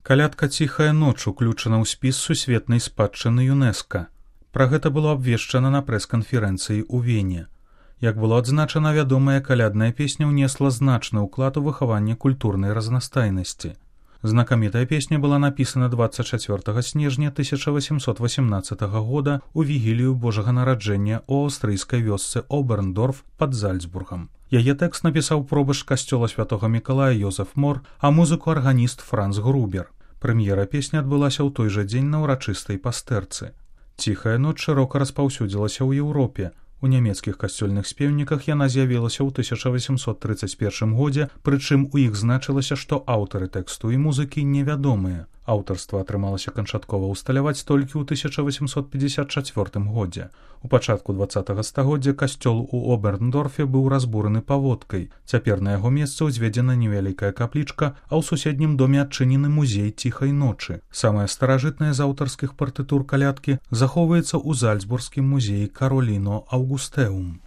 Калядка «Ціхая ноч» уключана ў спіс сусветнай спадчыны ЮНЕСКО. Пра гэта было абвешчана на прэс-канферэнцыі ў Вене. Як было адзначана, вядомая калядная песня ўнесла значны ўклад у выхаванне культурнай разнастайнасці. Знакамітая песня была напісана 24 снежня 1818 года ў вігілію Божага нараджэння ў аўстрыйскай вёсцы Оберндорф пад Зальцбургам. Яе тэкст напісаў пробышч касцёла святога Мікалая Йозеф Мор, а музыку арганіст Франц Грубер. Прэм'ера песні адбылася ў той жа дзень на ўрачыстай пастэрцы. «Ціхая ноч» шырока распаўсюдзілася ў Еўропе. У нямецкіх касцёльных спеўніках яна з'явілася ў 1831 годзе, прычым у іх значылася, што аўтары тэксту і музыкі невядомыя. Аўтарства атрымалася канчаткова ўсталяваць толькі ў 1854 годзе. У пачатку 20 стагоддзя касцёл у Оберндорфе быў разбураны паводкай. Цяпер на яго месцы ўзведзена невялікая каплічка, а ў суседнім доме адчынены музей «Ціхай ночы». Самая старажытная з аўтарскіх партытур калядкі захоўваецца ў Зальцбургскім музеі Кароліно Аўгустэум.